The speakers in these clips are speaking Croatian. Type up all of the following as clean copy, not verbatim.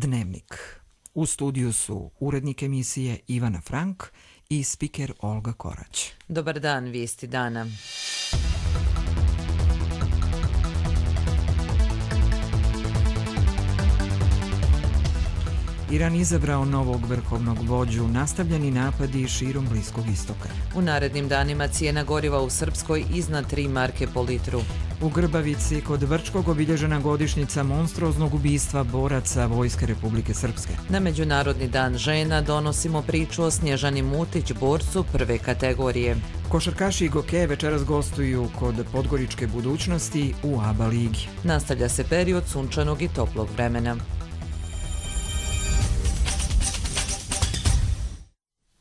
Dnevnik. U studiju su urednik emisije Ivana Frank i spiker Olga Korać. Dobar dan, vijesti dana. Iran izabrao novog vrhovnog vođu, nastavljeni napadi širom Bliskog istoka. U narednim danima cijena goriva u Srpskoj iznad 3 marke po litru. U Grbavici kod Vrčkog obilježena godišnjica monstruoznog ubistva boraca Vojske Republike Srpske. Na Međunarodni dan žena donosimo priču o Snježani Mutić, borcu prve kategorije. Košarkaši i Goke večeras gostuju kod Podgoričke budućnosti u ABA ligi. Nastavlja se period sunčanog i toplog vremena.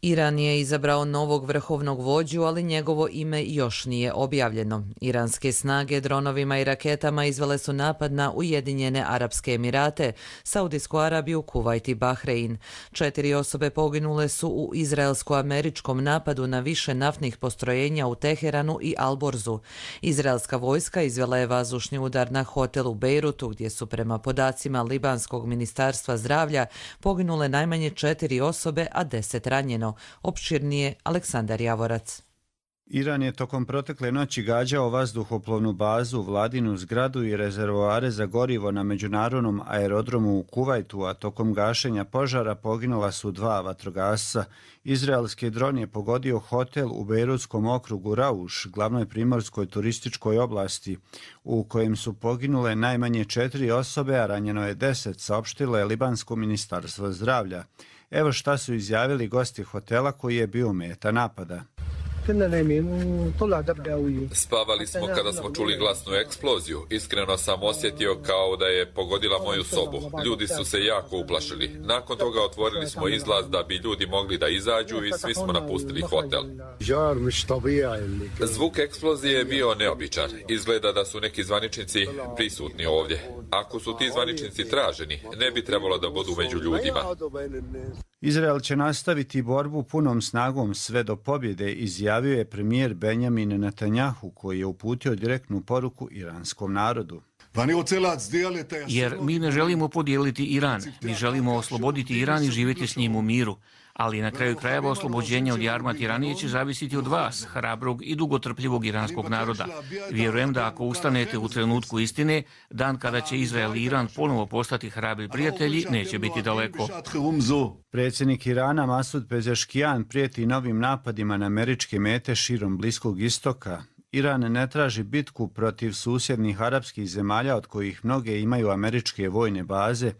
Iran je izabrao novog vrhovnog vođu, ali njegovo ime još nije objavljeno. Iranske snage dronovima i raketama izvele su napad na Ujedinjene Arapske Emirate, Saudijsku Arabiju, Kuvajt i Bahrein. 4 osobe poginule su u izraelsko-američkom napadu na više naftnih postrojenja u Teheranu i Alborzu. Izraelska vojska izvela je vazdušni udar na hotel u Bejrutu, gdje su prema podacima Libanskog ministarstva zdravlja poginule najmanje 4 osobe, a 10 ranjeno. Opširnije Aleksandar Javorac. Iran je tokom protekle noći gađao vazduhoplovnu bazu, vladinu zgradu i rezervoare za gorivo na međunarodnom aerodromu u Kuvajtu, a tokom gašenja požara poginula su 2 vatrogasca. Izraelski dron je pogodio hotel u bejrutskom okrugu Rauš, glavnoj primorskoj turističkoj oblasti, u kojem su poginule najmanje 4 osobe, a ranjeno je 10, saopštilo je Libansko ministarstvo zdravlja. Evo šta su izjavili gosti hotela koji je bio meta napada. Spavali smo kada smo čuli glasnu eksploziju. Iskreno sam osjetio kao da je pogodila moju sobu. Ljudi su se jako uplašili. Nakon toga otvorili smo izlaz da bi ljudi mogli da izađu i svi smo napustili hotel. Zvuk eksplozije je bio neobičan. Izgleda da su neki zvaničnici prisutni ovdje. Ako su ti zvaničnici traženi, ne bi trebalo da budu među ljudima. Izrael će nastaviti borbu punom snagom sve do pobjede, izjavio je premijer Benjamin Netanjahu, koji je uputio direktnu poruku iranskom narodu. Jer mi ne želimo podijeliti Iran, mi želimo osloboditi Iran i živjeti s njim u miru. Ali na kraju krajeva oslobođenje od jarma tiranije će zavisiti od vas, hrabrog i dugotrpljivog iranskog naroda. Vjerujem da ako ustanete u trenutku istine, dan kada će Izrael i Iran ponovo postati hrabri prijatelji, neće biti daleko. Predsjednik Irana Masud Pezeškijan prijeti novim napadima na američke mete širom Bliskog istoka. Iran ne traži bitku protiv susjednih arapskih zemalja od kojih mnoge imaju američke vojne baze.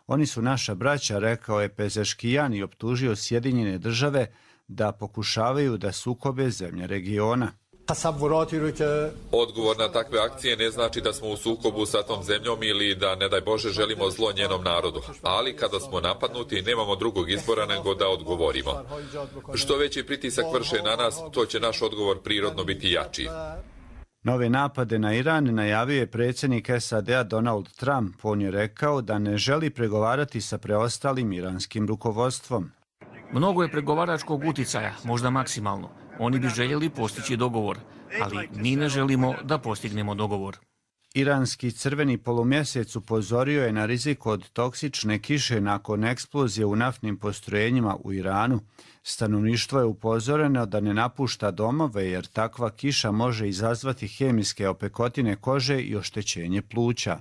Oni su naša braća, rekao je Pezeškijan i optužio Sjedinjene države da pokušavaju da sukobe zemlje regiona. Odgovor na takve akcije ne znači da smo u sukobu sa tom zemljom ili da, ne daj Bože, želimo zlo njenom narodu. Ali kada smo napadnuti, nemamo drugog izbora nego da odgovorimo. Što veći pritisak vrše na nas, to će naš odgovor prirodno biti jači. Nove napade na Iran najavio je predsjednik SAD-a Donald Trump. On je rekao da ne želi pregovarati sa preostalim iranskim rukovodstvom. Mnogo je pregovaračkog uticaja, možda maksimalno. Oni bi željeli postići dogovor, ali mi ne želimo da postignemo dogovor. Iranski crveni polumjesec upozorio je na rizik od toksične kiše nakon eksplozije u naftnim postrojenjima u Iranu. Stanovništvo je upozoreno da ne napušta domove jer takva kiša može izazvati hemijske opekotine kože i oštećenje pluća.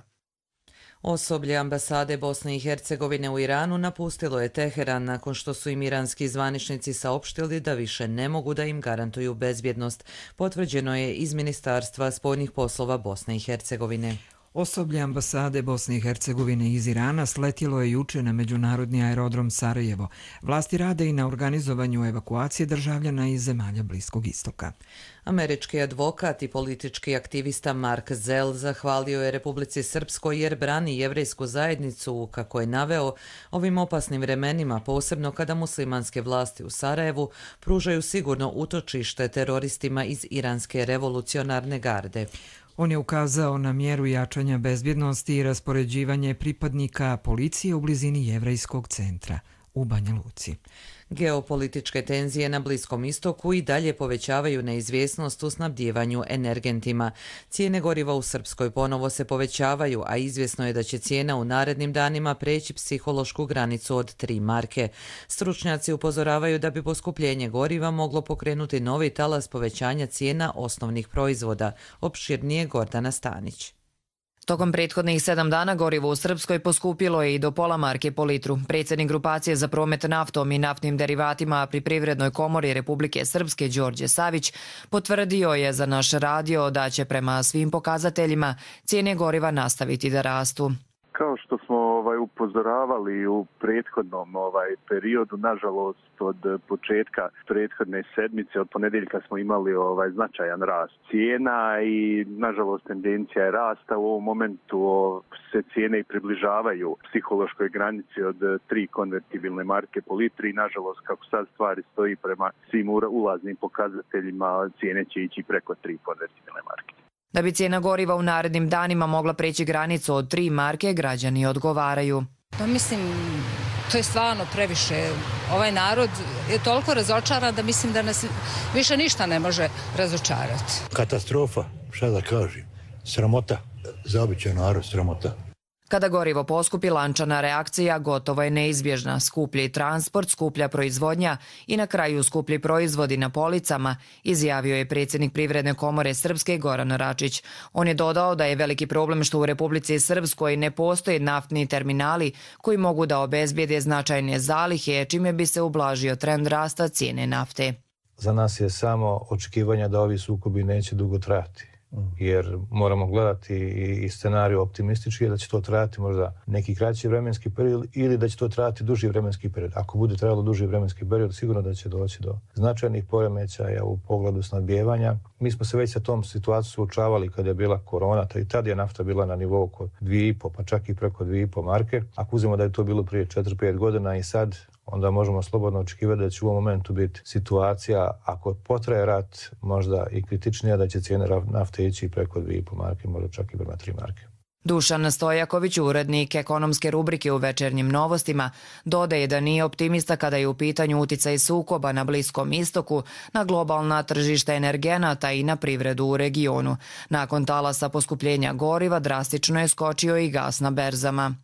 Osoblje ambasade Bosne i Hercegovine u Iranu napustilo je Teheran nakon što su im iranski zvaničnici saopštili da više ne mogu da im garantuju bezbjednost. Potvrđeno je iz Ministarstva spoljnih poslova Bosne i Hercegovine. Osoblje ambasade Bosne i Hercegovine iz Irana sletjelo je juče na međunarodni aerodrom Sarajevo. Vlasti rade i na organizovanju evakuacije državljana iz zemalja Bliskog istoka. Američki advokat i politički aktivista Mark Zell zahvalio je Republici Srpskoj jer brani jevrejsku zajednicu, kako je naveo, ovim opasnim vremenima, posebno kada muslimanske vlasti u Sarajevu pružaju sigurno utočište teroristima iz iranske revolucionarne garde. On je ukazao na mjeru jačanja bezbjednosti i raspoređivanje pripadnika policije u blizini jevrejskog centra u Banja Luci. Geopolitičke tenzije na Bliskom istoku i dalje povećavaju neizvjesnost u snabdijevanju energentima. Cijene goriva u Srpskoj ponovo se povećavaju, a izvjesno je da će cijena u narednim danima preći psihološku granicu od 3 marke. Stručnjaci upozoravaju da bi poskupljenje goriva moglo pokrenuti novi talas povećanja cijena osnovnih proizvoda. Opširnije Gordana Stanić. Tokom prethodnih 7 dana gorivo u Srpskoj poskupilo je i do pola marke po litru. Predsjednik grupacije za promet naftom i naftnim derivatima pri Privrednoj komori Republike Srpske Đorđe Savić potvrdio je za naš radio da će prema svim pokazateljima cijene goriva nastaviti da rastu. Kao što smo upozoravali u prethodnom periodu, nažalost od početka prethodne sedmice, od ponedjeljka smo imali značajan rast cijena i nažalost tendencija je rasta. U ovom momentu se cijene i približavaju psihološkoj granici od 3 konvertibilne marke po litri i nažalost kako sad stvari stoji prema svim ulaznim pokazateljima cijene će ići preko 3 konvertibilne marke. Da bi cijena goriva u narednim danima mogla preći granicu od 3 marke, građani odgovaraju. Pa mislim, to je stvarno previše. Ovaj narod je toliko razočaran da mislim da nas više ništa ne može razočarati. Katastrofa, šta da kažem, sramota, za običan narod sramota. Kada gorivo poskupi, lančana reakcija gotovo je neizbježna. Skuplji transport, skuplja proizvodnja i na kraju skuplji proizvodi na policama, izjavio je predsjednik Privredne komore Srpske Goran Račić. On je dodao da je veliki problem što u Republici Srpskoj ne postoje naftni terminali koji mogu da obezbijede značajne zalihe, čime bi se ublažio trend rasta cijene nafte. Za nas je samo očekivanje da ovi sukobi neće dugo trajati. Jer moramo gledati i scenariju optimistički da će to trajati možda neki kraći vremenski period ili da će to trajati duži vremenski period. Ako bude trajalo duži vremenski period, sigurno da će doći do značajnih poremećaja u pogledu snabdijevanja. Mi smo se već sa tom situacijom suočavali kad je bila korona, i tad je nafta bila na nivou oko 2,5, pa čak i preko 2,5 marke. Ako uzmemo da je to bilo prije 4-5 godina i sad, onda možemo slobodno očekivati da će u ovom momentu biti situacija, ako potraje rat, možda i kritičnija, da će cijene nafte ići preko 2,5 marke, možda čak i prema 3 marke. Dušan Stojaković, urednik ekonomske rubrike u Večernjim novostima, dodaje da nije optimista kada je u pitanju uticaj sukoba na Bliskom istoku, na globalna tržišta energenata i na privredu u regionu. Nakon talasa poskupljenja goriva drastično je skočio i gas na berzama.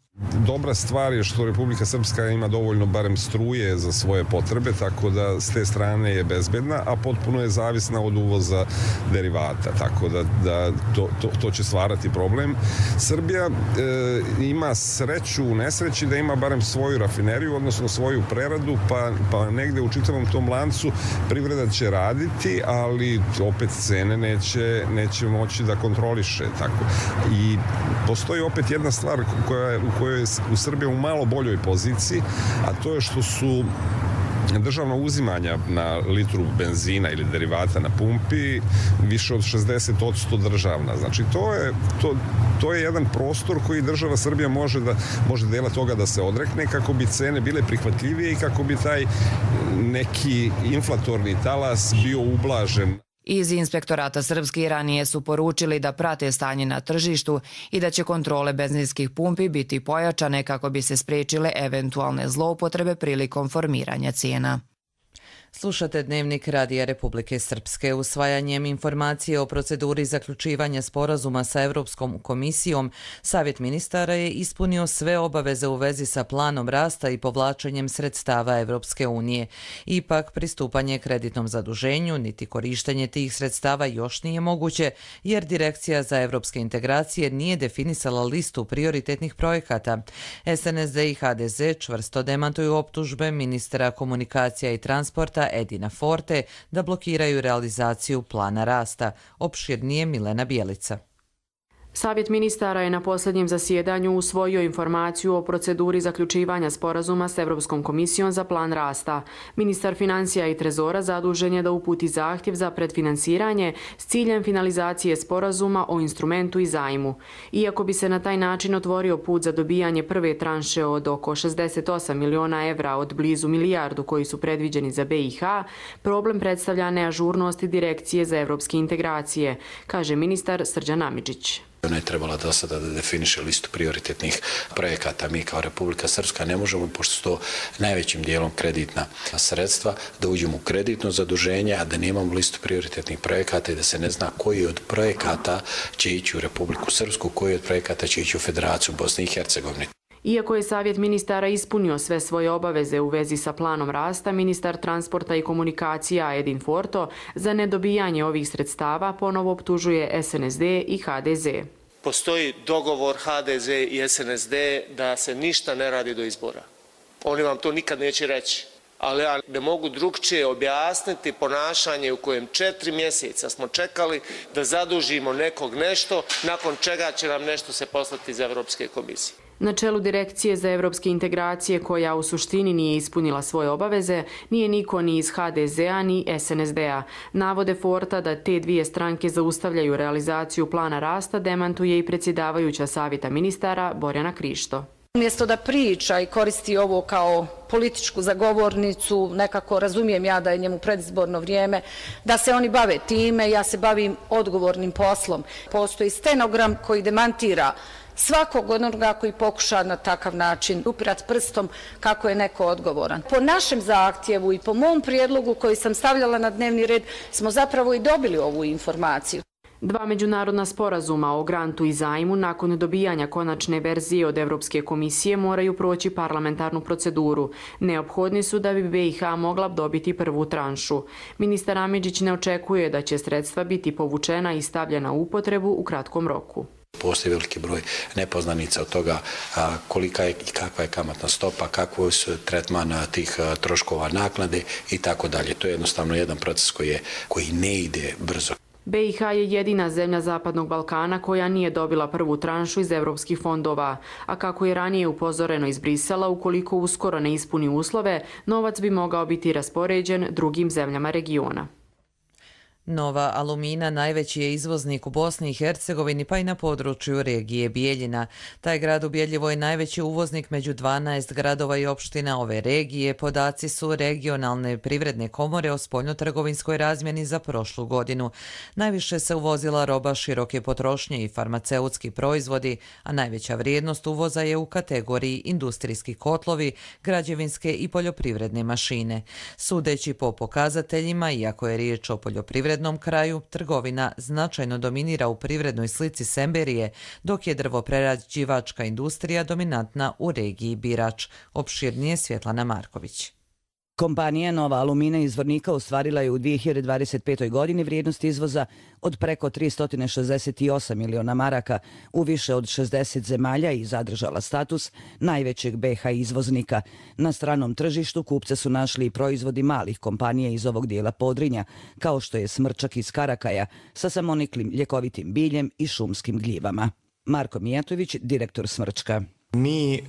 Dobra stvar je što Republika Srpska ima dovoljno barem struje za svoje potrebe, tako da s te strane je bezbedna, a potpuno je zavisna od uvoza derivata, tako da to će stvarati problem. Srbija ima sreću u nesreći da ima barem svoju rafineriju, odnosno svoju preradu, pa negde u čitavom tom lancu privreda će raditi, ali opet cene neće moći da kontroliše. Tako. I postoji opet jedna stvar u kojoj je u Srbiji u malo boljoj poziciji, a to je što su državna uzimanja na litru benzina ili derivata na pumpi više od 60% državna. Znači to je jedan prostor koji država Srbija može dela toga da se odrekne kako bi cene bile prihvatljivije i kako bi taj neki inflatorni talas bio ublažen. Iz Inspektorata Srpske ranije su poručili da prate stanje na tržištu i da će kontrole benzinskih pumpi biti pojačane kako bi se spriječile eventualne zloupotrebe prilikom formiranja cijena. Slušate Dnevnik Radija Republike Srpske. Usvajanjem informacije o proceduri zaključivanja sporazuma sa Europskom komisijom, Savjet ministara je ispunio sve obaveze u vezi sa planom rasta i povlačenjem sredstava Europske unije. Ipak, pristupanje kreditnom zaduženju niti korištenje tih sredstava još nije moguće, jer Direkcija za evropske integracije nije definisala listu prioritetnih projekata. SNSD i HDZ čvrsto demantuju optužbe ministra komunikacija i transporta Edina Forte da blokiraju realizaciju plana rasta. Opširnije Milena Bijelica. Savjet ministara je na posljednjem zasjedanju usvojio informaciju o proceduri zaključivanja sporazuma s Europskom komisijom za plan rasta. Ministar financija i trezora zadužen je da uputi zahtjev za predfinansiranje s ciljem finalizacije sporazuma o instrumentu i zajmu. Iako bi se na taj način otvorio put za dobijanje prve tranše od oko 68 miliona evra od blizu milijardu koji su predviđeni za BiH, problem predstavlja neažurnost Direkcije za evropske integracije, kaže ministar Srđan Amidžić. Ona je trebala do sada da definiše listu prioritetnih projekata. Mi kao Republika Srpska ne možemo, pošto su to najvećim dijelom kreditna sredstva, da uđemo u kreditno zaduženje, a da nemamo listu prioritetnih projekata i da se ne zna koji od projekata će ići u Republiku Srpsku, koji od projekata će ići u Federaciju Bosne i Hercegovine. Iako je Savjet ministara ispunio sve svoje obaveze u vezi sa planom rasta, ministar transporta i komunikacija Edin Forto za nedobijanje ovih sredstava ponovo optužuje SNSD i HDZ. Postoji dogovor HDZ i SNSD da se ništa ne radi do izbora. Oni vam to nikad neće reći. Ali ja ne mogu drugčije objasniti ponašanje u kojem 4 mjeseca smo čekali da zadužimo nekog nešto, nakon čega će nam nešto se poslati iz Evropske komisije. Na čelu Direkcije za evropske integracije, koja u suštini nije ispunila svoje obaveze, nije niko ni iz HDZ-a ni SNSD-a. Navode Forta da te dvije stranke zaustavljaju realizaciju plana rasta demantuje i predsjedavajuća Savjeta ministara Borjana Krišto. Umjesto da priča i koristi ovo kao političku zagovornicu, nekako razumijem ja da je njemu predizborno vrijeme, da se oni bave time, ja se bavim odgovornim poslom. Postoji stenogram koji demantira svakog onoga koji pokuša na takav način upirati prstom kako je neko odgovoran. Po našem zahtjevu i po mom prijedlogu koji sam stavljala na dnevni red smo zapravo i dobili ovu informaciju. Dva međunarodna sporazuma o grantu i zajmu nakon dobijanja konačne verzije od Evropske komisije moraju proći parlamentarnu proceduru. Neophodni su da bi BiH mogla dobiti prvu tranšu. Ministar Amidžić ne očekuje da će sredstva biti povučena i stavljena u upotrebu u kratkom roku. Postoji veliki broj nepoznanica od toga kolika je i kakva je kamatna stopa, kakvo su tretman tih troškova naknade i tako dalje. To je jednostavno jedan proces koji ne ide brzo. BiH je jedina zemlja Zapadnog Balkana koja nije dobila prvu tranšu iz evropskih fondova, a kako je ranije upozoreno iz Brisela, ukoliko uskoro ne ispuni uslove, novac bi mogao biti raspoređen drugim zemljama regiona. Nova Alumina najveći je izvoznik u Bosni i Hercegovini pa i na području regije Bijeljina. Taj grad ubjedljivo je najveći uvoznik među 12 gradova i opština ove regije. Podaci su regionalne privredne komore o spoljnotrgovinskoj razmjeni za prošlu godinu. Najviše se uvozila roba široke potrošnje i farmaceutski proizvodi, a najveća vrijednost uvoza je u kategoriji industrijski kotlovi, građevinske i poljoprivredne mašine. Sudeći po pokazateljima, iako je riječ o poljoprivrednom kraju, trgovina značajno dominira u privrednoj slici Semberije, dok je drvoprerađivačka industrija dominantna u regiji Birač. Opširnije Svjetlana Marković. Kompanija Nova Alumina iz Zvornika ostvarila je u 2025. godini vrijednost izvoza od preko 368 miliona maraka u više od 60 zemalja i zadržala status najvećeg BiH izvoznika. Na stranom tržištu kupce su našli i proizvodi malih kompanija iz ovog dijela Podrinja, kao što je smrčak iz Karakaja sa samoniklim ljekovitim biljem i šumskim gljivama. Marko Mijatović, direktor Smrčka. Mi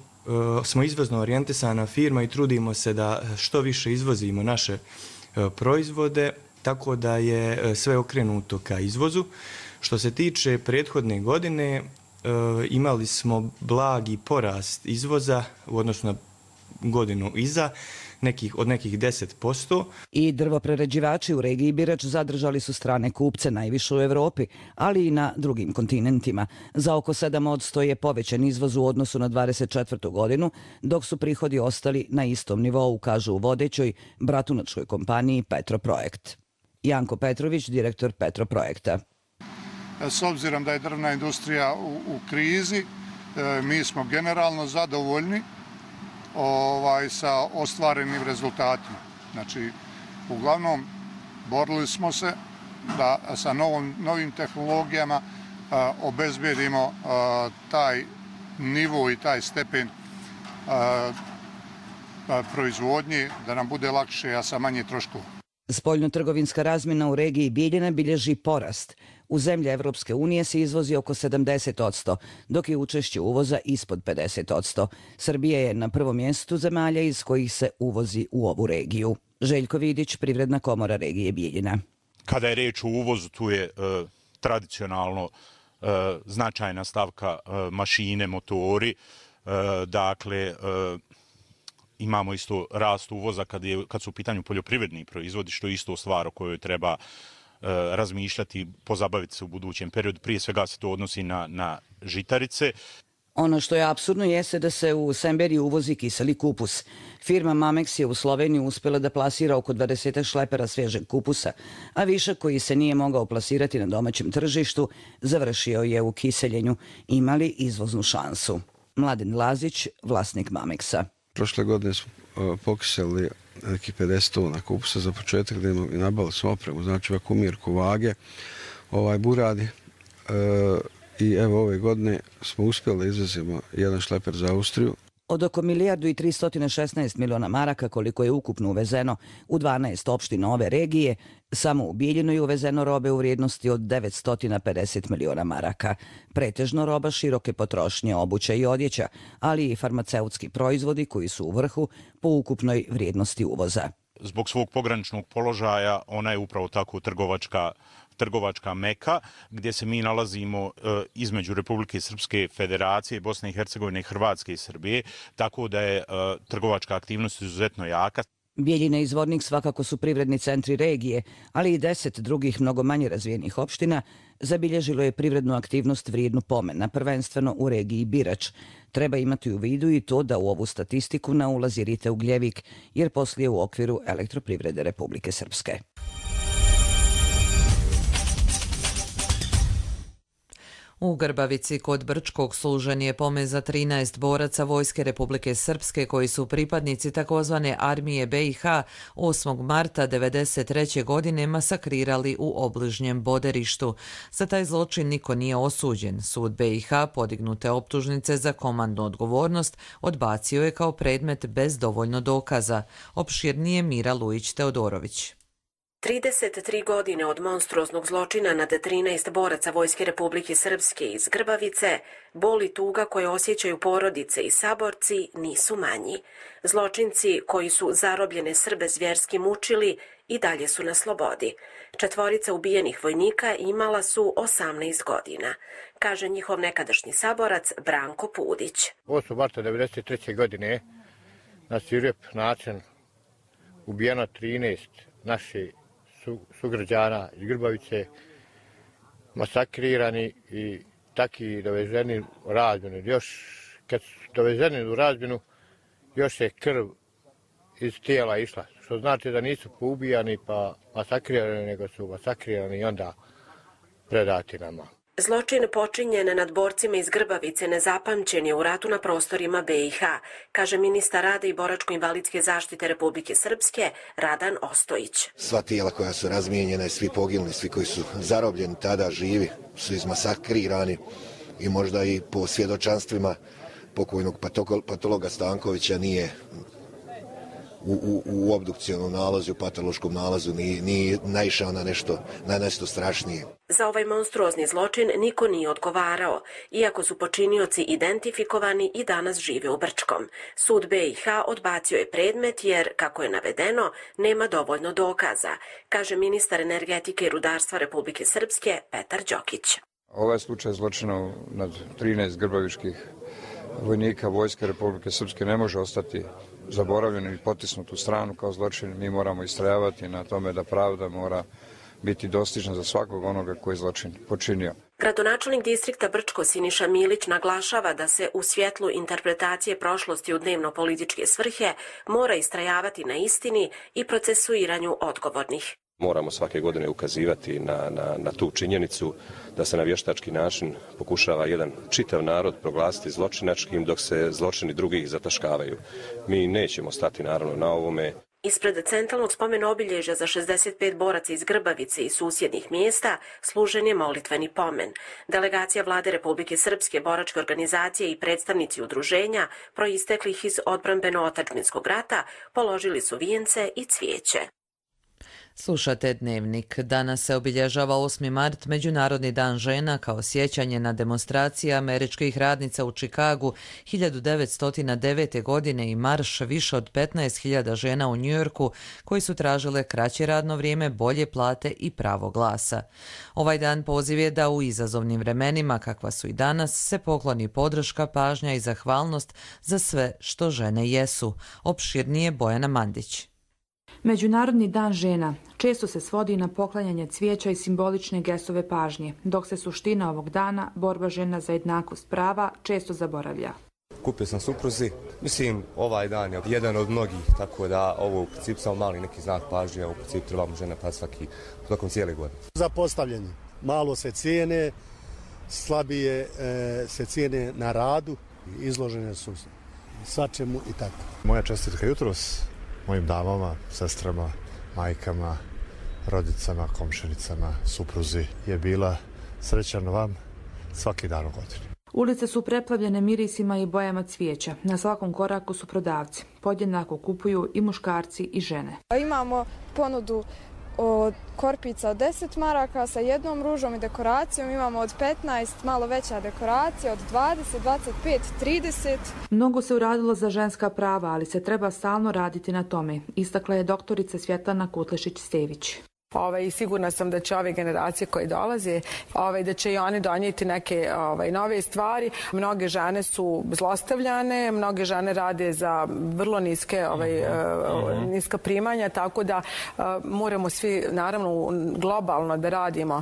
smo izvozno orijentisana firma i trudimo se da što više izvozimo naše proizvode, tako da je sve okrenuto ka izvozu. Što se tiče prethodne godine, imali smo blagi porast izvoza u odnosu na godinu iza, od nekih 10%. I drvoprerađivači u regiji Birač zadržali su strane kupce najviše u Evropi, ali i na drugim kontinentima. Za oko 7% je povećan izvoz u odnosu na 24. godinu, dok su prihodi ostali na istom nivou, kažu u vodećoj bratunačkoj kompaniji Petroprojekt. Janko Petrović, direktor Petroprojekta. S obzirom da je drvna industrija u krizi, mi smo generalno zadovoljni sa ostvarenim rezultatima. Znači, uglavnom, borili smo se da sa novim tehnologijama obezbedimo taj nivo i taj stepen proizvodnje, da nam bude lakše, a sa manje troškova. Spoljnotrgovinska razmjena u regiji Bijeljina bilježi porast. U zemlje Evropske unije se izvozi oko 70%, dok je učešće uvoza ispod 50%. Srbija je na prvom mjestu zemalja iz kojih se uvozi u ovu regiju. Željko Vidić, Privredna komora regije Bijeljina. Kada je reč o uvozu, tu je tradicionalno značajna stavka mašine, motori. Dakle, imamo isto rast uvoza kad su u pitanju poljoprivredni proizvodi, što je isto stvar o kojoj treba razmišljati, pozabaviti se u budućem periodu. Prije svega se to odnosi na žitarice. Ono što je apsurdno jeste da se u Semberiju uvozi kiseli kupus. Firma Mamex je u Sloveniju uspjela da plasira oko 20 šlepera svježeg kupusa, a višak koji se nije mogao plasirati na domaćem tržištu završio je u kiseljenju. Imali izvoznu šansu. Mladen Lazić, vlasnik Mamexa. Prošle godine smo pokiseli nekih 50 tona kupusa za početak, da imamo i nabavili smo opremu, znači vakumirku, vage, buradi. I evo ove godine smo uspjeli da izvezemo jedan šleper za Austriju. Od oko 1.316 miliona maraka koliko je ukupno uvezeno u 12 opština ove regije, samo u Bijeljinu je uvezeno robe u vrijednosti od 950 miliona maraka. Pretežno roba široke potrošnje, obuća i odjeća, ali i farmaceutski proizvodi koji su u vrhu po ukupnoj vrijednosti uvoza. Zbog svog pograničnog položaja ona je upravo tako trgovačka meka, gdje se mi nalazimo između Republike Srpske Federacije, Bosne i Hercegovine, Hrvatske i Srbije, tako da je trgovačka aktivnost izuzetno jaka. Bijeljina i Zvornik svakako su privredni centri regije, ali i 10 drugih mnogo manje razvijenih opština zabilježilo je privrednu aktivnost vrijednu pomena, prvenstveno u regiji Birač. Treba imati u vidu i to da u ovu statistiku ne ulazi Rite Ugljevik, jer poslije u okviru Elektroprivrede Republike Srpske. U Grbavici kod Brčkog služen je pome za 13 boraca Vojske Republike Srpske koji su pripadnici takozvane armije BiH 8. marta 1993. godine masakrirali u obližnjem Boderištu. Za taj zločin niko nije osuđen. Sud BiH podignute optužnice za komandnu odgovornost odbacio je kao predmet bez dovoljno dokaza. Opširnije Mira Lujić-Teodorović. 33 godine od monstruoznog zločina nad 13 boraca Vojske Republike Srpske iz Grbavice, bol i tuga koje osjećaju porodice i saborci nisu manji. Zločinci koji su zarobljene Srbe zvjerski mučili i dalje su na slobodi. 4 ubijenih vojnika imala su 18 godina, kaže njihov nekadašnji saborac Branko Pudić. 8. marta 1993. godine na svirep način ubijeno 13 naših sugrađana iz Grbavice, masakrirani i taki dovezeni u razmjenu. Još kad su dovezeni u razmjenu, još je krv iz tijela išla, što znači da nisu poubijani pa masakrirani, nego su masakrirani i onda predati nama. Zločin počinjen nad borcima iz Grbavice nezapamćen je u ratu na prostorima BiH, kaže ministar rada i boračko-invalidske zaštite Republike Srpske Radan Ostojić. Sva tijela koja su razmijenjena, svi poginuli, svi koji su zarobljeni tada živi, su izmasakrirani i možda i po svjedočanstvima pokojnog patologa Stankovića nije u obdukcionom nalazu, u patološkom nalazu nije naišao na nešto strašnije. Za ovaj monstruozni zločin niko nije odgovarao, iako su počinioci identifikovani i danas žive u Brčkom. Sud BiH odbacio je predmet jer, kako je navedeno, nema dovoljno dokaza, kaže ministar energetike i rudarstva Republike Srpske Petar Đokić. Ovaj slučaj zločina nad 13 grbavičkih vojnika Vojske Republike Srpske ne može ostati zaboravljen i potisnut u stranu kao zločin. Mi moramo istrajavati na tome da pravda mora biti dostižna za svakog onoga koji je zločin počinio. Gradonačelnik distrikta Brčko Siniša Milić naglašava da se u svjetlu interpretacije prošlosti u dnevno-političke svrhe mora istrajavati na istini i procesuiranju odgovornih. Moramo svake godine ukazivati na tu činjenicu da se na vještački način pokušava jedan čitav narod proglasiti zločinačkim dok se zločini drugih zataškavaju. Mi nećemo stati naravno na ovome. Ispred centralnog spomena obilježja za 65 boraca iz Grbavice i susjednih mjesta služen je molitveni pomen. Delegacija Vlade Republike Srpske, boračke organizacije i predstavnici udruženja proisteklih iz odbrambeno-otadžbinskog rata položili su vijence i cvijeće. Slušate Dnevnik. Danas se obilježava 8. mart, Međunarodni dan žena, kao sjećanje na demonstracije američkih radnica u Čikagu 1909. godine i marš više od 15.000 žena u Njujorku koji su tražile kraće radno vrijeme, bolje plate i pravo glasa. Ovaj dan poziv je da u izazovnim vremenima, kakva su i danas, se pokloni podrška, pažnja i zahvalnost za sve što žene jesu. Opširnije Bojana Mandić. Međunarodni dan žena često se svodi na poklanjanje cvijeća i simbolične gestove pažnje, dok se suština ovog dana, borba žena za jednakost prava, često zaboravlja. Kupio sam supruzi, mislim ovaj dan je jedan od mnogih, tako da ovo u principu samo mali neki znak pažnje, u principu trebamo žene pa svakom cijele godine. Zapostavljeni, malo se cijene, slabije se cijene na radu, izložene su svačemu i tako. Moja čestitka jutros mojim damama, sestrama, majkama, rodicama, komšinicama, supruzi je bila srećan vam svaki dan u godini. Ulice su preplavljene mirisima i bojama cvijeća. Na svakom koraku su prodavci. Podjednako kupuju i muškarci i žene. Imamo ponudu od korpica od 10 maraka sa jednom ružom i dekoracijom. Imamo od 15 malo veća dekoracija, od 20, 25, 30. Mnogo se uradilo za ženska prava, ali se treba stalno raditi na tome, istakla je doktorica Svjetlana Kutlešić-Stević. Sigurna sam da će ove generacije koje dolaze, da će i oni donijeti neke nove stvari. Mnoge žene su zlostavljane, mnoge žene rade za vrlo niska primanja, tako da moramo svi, naravno, globalno da radimo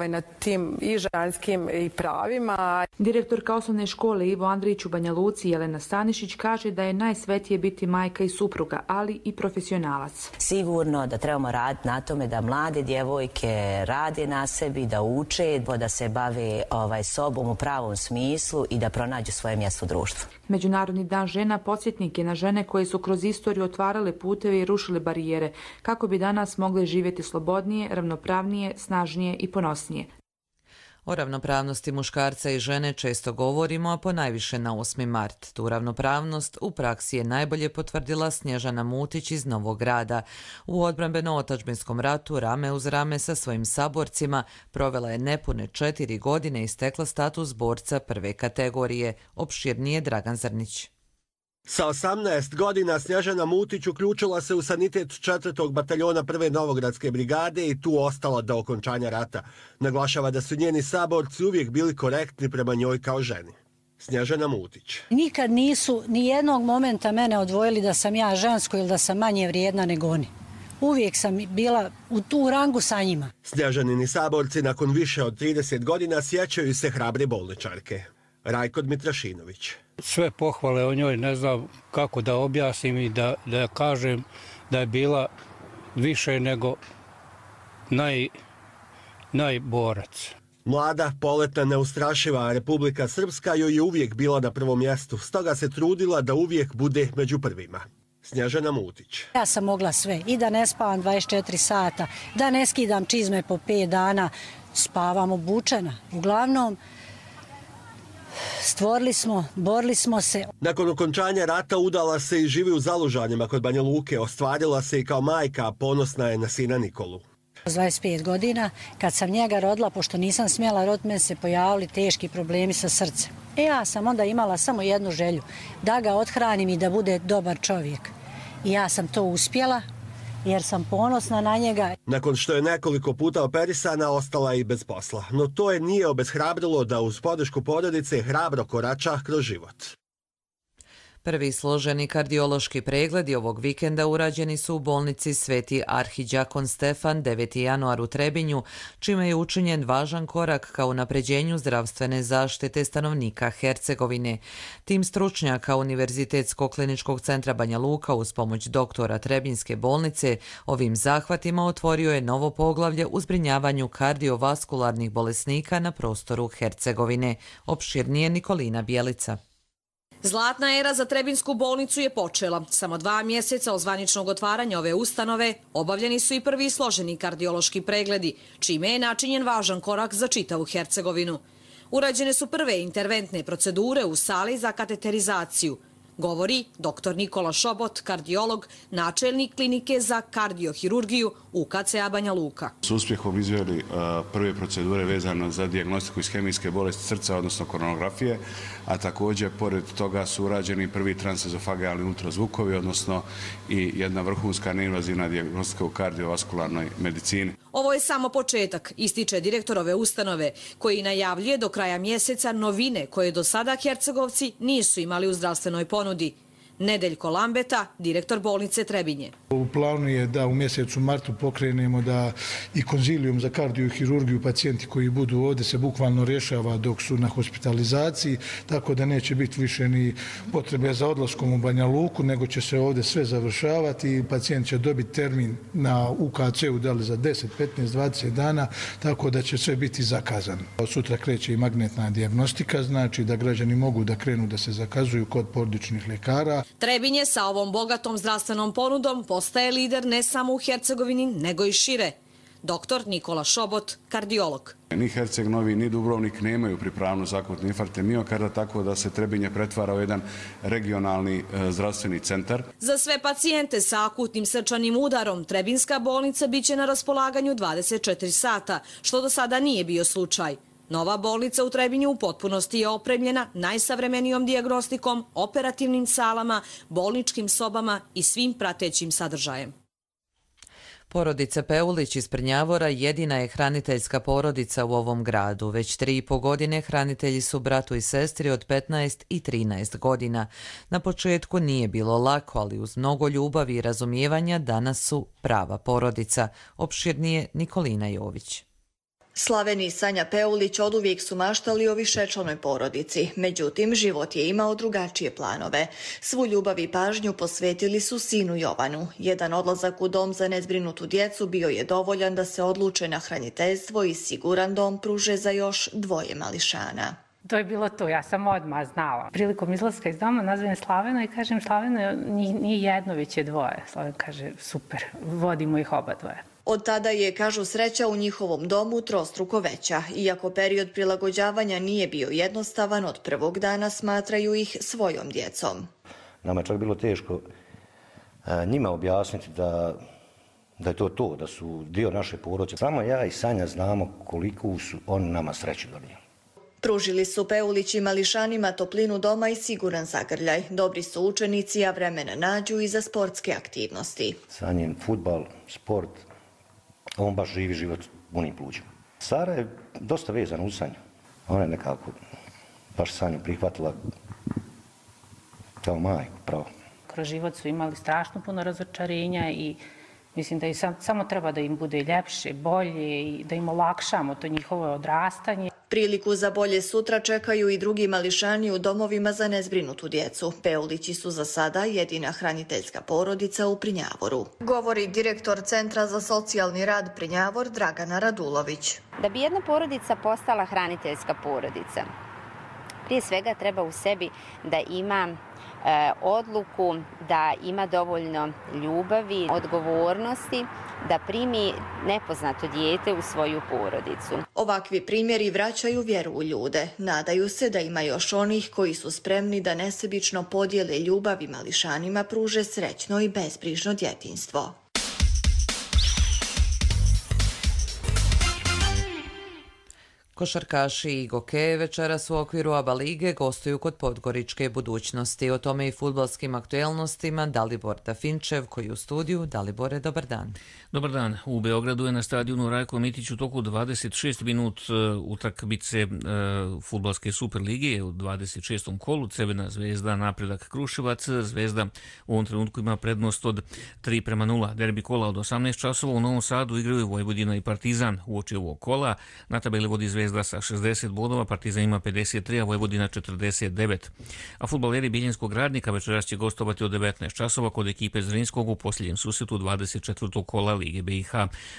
na tim i ženskim i pravima. Direktorka osnovne škole Ivo Andrić u Banja Luci Jelena Stanišić kaže da je najsvetije biti majka i supruga, ali i profesionalac. Sigurno da trebamo raditi na tome da mlade djevojke rade na sebi, da uče, da se bave sobom u pravom smislu i da pronađu svoje mjesto u društvu. Međunarodni dan žena podsjetnik je na žene koje su kroz istoriju otvarale puteve i rušile barijere, kako bi danas mogle živjeti slobodnije, ravnopravnije, snažnije i ponosnije. O ravnopravnosti muškarca i žene često govorimo, a ponajviše na 8. mart. Tu ravnopravnost u praksi je najbolje potvrdila Snježana Mutić iz Novog Grada. U odbrambeno-otadžbinskom ratu rame uz rame sa svojim saborcima provela je nepune 4 godine i stekla status borca prve kategorije. Opširnije Dragan Zrnić. Sa 18 godina Snježana Mutić uključila se u sanitet 4. bataljona 1. Novogradske brigade i tu ostala do okončanja rata. Naglašava da su njeni saborci uvijek bili korektni prema njoj kao ženi. Snježana Mutić. Nikad nisu ni jednog momenta mene odvojili da sam ja žensko ili da sam manje vrijedna nego oni. Uvijek sam bila u tu rangu sa njima. Snježanini saborci nakon više od 30 godina sjećaju se hrabre bolničarke. Rajko Dmitrašinović. Sve pohvale o njoj ne znam kako da objasnim i da kažem da je bila više nego najborac. Mlada, poletna, neustrašiva Republika Srpska joj je uvijek bila na prvom mjestu, stoga se trudila da uvijek bude među prvima. Snježana Mutić. Ja sam mogla sve, i da ne spavam 24 sata, da ne skidam čizme po 5 dana, spavam obučena. Uglavnom, stvorili smo, borili smo se. Nakon okončanja rata udala se i živi u Zalužanima kod Banja Luke. Ostvarila se i kao majka, a ponosna je na sina Nikolu. 25 godina, kad sam njega rodila, pošto nisam smjela roditi, meni se pojavili teški problemi sa srcem. Ja sam onda imala samo jednu želju, da ga othranim i da bude dobar čovjek. I ja sam to uspjela, jer sam ponosna na njega. Nakon što je nekoliko puta operisana, ostala je i bez posla. No to je nije obeshrabrilo da uz podršku porodice hrabro korača kroz život. Prvi složeni kardiološki pregledi ovog vikenda urađeni su u bolnici Sveti Arhiđakon Stefan 9. januar u Trebinju, čime je učinjen važan korak ka unapređenju zdravstvene zaštite stanovnika Hercegovine. Tim stručnjaka Univerzitetskog kliničkog centra Banja Luka uz pomoć doktora Trebinjske bolnice ovim zahvatima otvorio je novo poglavlje u zbrinjavanju kardiovaskularnih bolesnika na prostoru Hercegovine. Opširnije Nikolina Bjelica. Zlatna era za Trebinsku bolnicu je počela. Samo 2 mjeseca od zvaničnog otvaranja ove ustanove obavljeni su i prvi složeni kardiološki pregledi, čime je načinjen važan korak za čitavu Hercegovinu. Urađene su prve interventne procedure u sali za kateterizaciju, govori dr. Nikola Šobot, kardiolog, načelnik klinike za kardiohirurgiju UKC-a Banja Luka. S uspjehom izveli prve procedure vezano za dijagnostiku ishemijske bolesti srca, odnosno koronografije, a također pored toga su urađeni prvi transezofagealni ultrazvukovi, odnosno i jedna vrhunska neinvazivna dijagnostika u kardiovaskularnoj medicini. Ovo je samo početak, ističe direktor ove ustanove, koji najavljuje do kraja mjeseca novine koje do sada Hercegovci nisu imali u zdravstvenoj ponudi. Nedeljko Lambeta, direktor bolnice Trebinje. U planu je da u mjesecu martu pokrenemo da i konzilijum za kardiohirurgiju pacijenti koji budu ovdje se bukvalno rješava dok su na hospitalizaciji, tako da neće biti više ni potrebe za odlaskom u Banja Luku, nego će se ovdje sve završavati i pacijent će dobiti termin na UKC-u da li za 10, 15, 20 dana, tako da će sve biti zakazano. Sutra kreće i magnetna dijagnostika, znači da građani mogu da krenu da se zakazuju kod porodičnih ljekara. Trebinje sa ovom bogatom zdravstvenom ponudom postaje lider ne samo u Hercegovini, nego i šire. Doktor Nikola Šobot, kardiolog. Ni Herceg Novi, ni Dubrovnik nemaju pripravnost za akutne infarkte miokarda, tako da se Trebinje pretvara u jedan regionalni zdravstveni centar. Za sve pacijente sa akutnim srčanim udarom Trebinska bolnica biće na raspolaganju 24 sata, što do sada nije bio slučaj. Nova bolnica u Trebinju u potpunosti je opremljena najsavremenijom dijagnostikom, operativnim salama, bolničkim sobama i svim pratećim sadržajem. Porodica Peulić iz Prnjavora jedina je hraniteljska porodica u ovom gradu. Već 3,5 godine hranitelji su bratu i sestri od 15 i 13 godina. Na početku nije bilo lako, ali uz mnogo ljubavi i razumijevanja danas su prava porodica. Opširnije Nikolina Jović. Slaveni i Sanja Peulić oduvijek su maštali o višečlanoj porodici, međutim život je imao drugačije planove. Svu ljubav i pažnju posvetili su sinu Jovanu. Jedan odlazak u dom za nezbrinutu djecu bio je dovoljan da se odluče na hraniteljstvo i siguran dom pruže za još 2 mališana. To je bilo to, ja sam odmah znala. Prilikom izlaska iz doma nazvem Slavena i kažem Slavena nije jedno, već je 2. Slaven kaže super, vodimo ih oba 2. Od tada je, kažu, sreća u njihovom domu trostruko veća. Iako period prilagođavanja nije bio jednostavan, od prvog dana smatraju ih svojom djecom. Nama je čak bilo teško njima objasniti da je to, da su dio naše porodice. Samo ja i Sanja znamo koliko su oni nama sreću donijeli. Pružili su Peulić i mališanima toplinu doma i siguran zagrljaj. Dobri su učenici, a vremena nađu i za sportske aktivnosti. Sanjin fudbal, sport, on baš živi život punim plućima. Sara je dosta vezana uz Sanju. Ona je nekako baš Sanju prihvatila kao majku, pravo. Kroz život su imali strašno puno razočarenja i mislim da samo treba da im bude ljepše, bolje i da im olakšamo to njihovo odrastanje. Priliku za bolje sutra čekaju i drugi mališani u domovima za nezbrinutu djecu. Peulići su za sada jedina hraniteljska porodica u Prnjavoru. Govori direktor Centra za socijalni rad Prnjavor Dragana Radulović. Da bi jedna porodica postala hraniteljska porodica, prije svega treba u sebi da ima odluku, da ima dovoljno ljubavi, odgovornosti, da primi nepoznato dijete u svoju porodicu. Ovakvi primjeri vraćaju vjeru u ljude. Nadaju se da ima još onih koji su spremni da nesebično podijele ljubav i mališanima pruže srećno i bezbrižno djetinjstvo. Košarkaši i Gokeje večeras u okviru ABA lige gostuju kod Podgoričke Budućnosti. O tome i fudbalskim aktuelnostima Dalibor Dafinčev koji je u studiju. Dalibore, dobar dan. Dobar dan. U Beogradu je na stadionu Rajko Mitić u toku 26 minut utakmice fudbalske Super lige u 26. kolu. Crvena Zvezda, Napredak Kruševac. Zvezda u ovom trenutku ima prednost od 3:0. Derbi kola od 18 časova u Novom Sadu igraju Vojvodina i Partizan. Uoči ovog kola na tabeli vodi Zvezda sa 60 bodova, Partizan ima 53, a Vojvodina 49. A fudbaleri Biljenskog Radnika večeras će gostovati od 19 časova kod ekipe Zrinskog u posljednjem susretu 24. kola Lige BiH.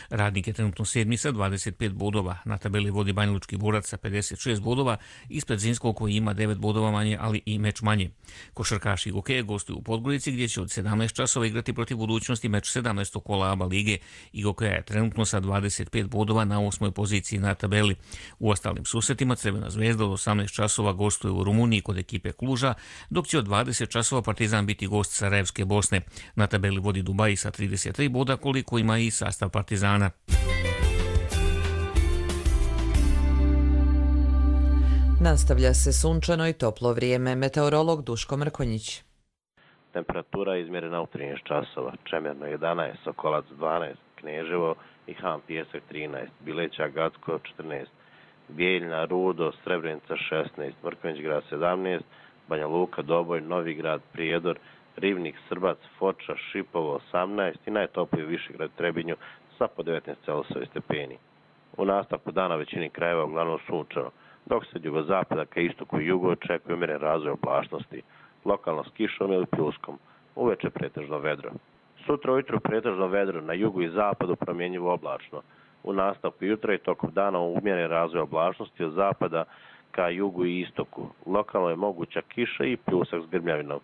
Radnik je trenutno 7. sa 25 bodova. Na tabeli vodi Banjalučki Borac sa 56 bodova, ispred Zrinskog koji ima 9 bodova manje, ali i meč manje. Košarkaši Gokeje gostuju u Podgorici gdje će od 17 časova igrati protiv Budućnosti meč 17. kola ABA lige i Gokeja je trenutno sa 25 bodova na 8. poziciji na tabeli. U ostalim susretima Crvena Zvezda od 18 časova gostuje u Rumuniji kod ekipe Kluža, dok će od 20 časova Partizan biti gost Sarajevske Bosne. Na tabeli vodi Dubai sa 33 boda, koliko ima i sastav Partizana. Nastavlja se sunčano i toplo vrijeme. Meteorolog Duško Mrkonjić. Temperatura izmjerena u 13 časova. Čemerno 11, Sokolac 12, Kneževo i Han Pijesak 13, Bileća Gacko 14, Bijeljna, Rudo, Srebrenica 16, Mrkonjić grad 17, Banja Luka, Doboj, Novi grad, Prijedor, Rivnik, Srbac, Foča, Šipovo 18 i najtopliji Višegrad, Trebinju sa po 19,7 stepeni. U nastavku dana većini krajeva uglavnom sunčano, dok se od jugozapada ka istoku i jugu očekuje umjeren razvoj oblačnosti, lokalno s kišom ili pljuskom, uveče pretežno vedro. Sutra ujutru pretežno vedro, na jugu i zapadu promjenjivo oblačno. U nastavku jutra i tokom dana umjeren razvoj oblačnosti od zapada ka jugu i istoku. Lokalno je moguća kiša i pljusak s grmljavinom.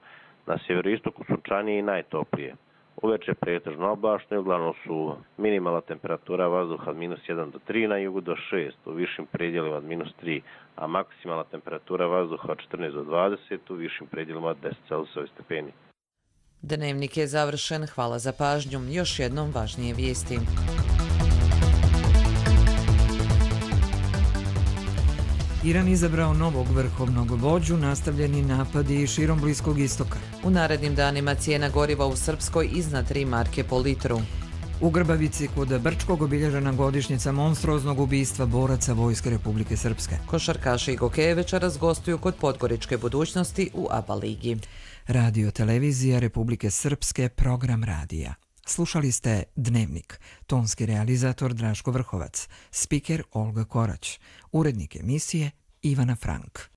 Na sjeveroistoku sunčanije i najtoplije. Uveče pretežno oblačno i uglavnom suvo. Minimalna temperatura vazduha od -1 do 3, na jugu do 6, u višim predjelima od -3, a maksimalna temperatura vazduha od 14 do 20, u višim predjelima od 10,7 stepeni. Dnevnik je završen, hvala za pažnju. Još jednom važnije vijesti. Iran izabrao novog vrhovnog vođu, nastavljeni napadi širom Bliskog istoka. U narednim danima cijena goriva u Srpskoj iznad 3 marke po litru. U Grbavici kod Brčkog obilježena godišnjica monstruoznog ubistva boraca Vojske Republike Srpske. Košarkaši i gokeje večeras gostuju kod Podgoričke Budućnosti u ABA ligi. Radio televizija Republike Srpske, program radija. Slušali ste Dnevnik, tonski realizator Draško Vrhovac, spiker Olga Korać, urednik emisije Ivana Frank.